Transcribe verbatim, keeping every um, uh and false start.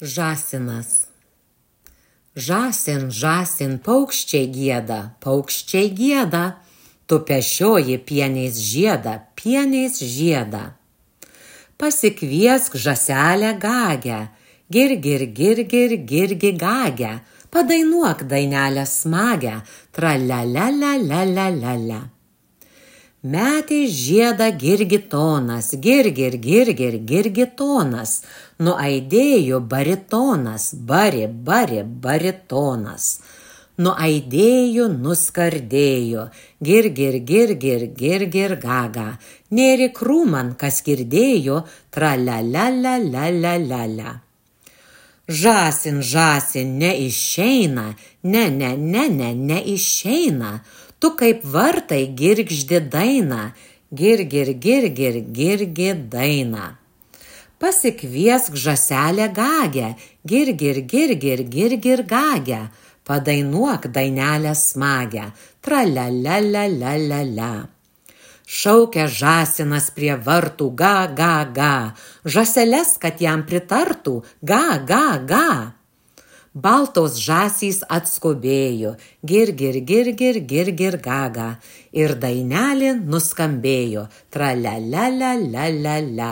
Žąsinas. Žąsin, žąsin, paukščiai gieda, paukščiai gieda, tu pešioji pieniais žiedą, pieniais žiedą. Pasikviesk žąselę gagę, gir, gir, gir, gir, girgi gagę, padainuok dainelę smagę, tra la la la la la la la. Metė žiedą girgitonas, gir, gir, gir, gir, girgitonas, nuaidėjo baritonas, bari, bari, baritonas. Nuaidėjo, nuskardėjo, gir, gir, gir, gir, gir, gir, gaga. Nėri krūman, kas girdėjo, tra la la la la la la la. Žąsin, žąsin, neišeina, ne, ne, ne, ne, neišeina. Tu kaip vartai girgždi dainą, gir, gir, gir, gir, girgi dainą. Pasikviesk žąselę gagę, gir, gir, gir, gir, gir, gir gagę, padainuok dainelę smagę, tra la la la la la la. Šaukia žąsinas prie vartų, ga, ga, ga, žąseles, kad jam pritartų, ga, ga, ga. Baltos žąsys atskubėjo, gir, gir, gir, gir, gir, gir, gaga, ir dainelė nuskambėjo, tra la la la la la la.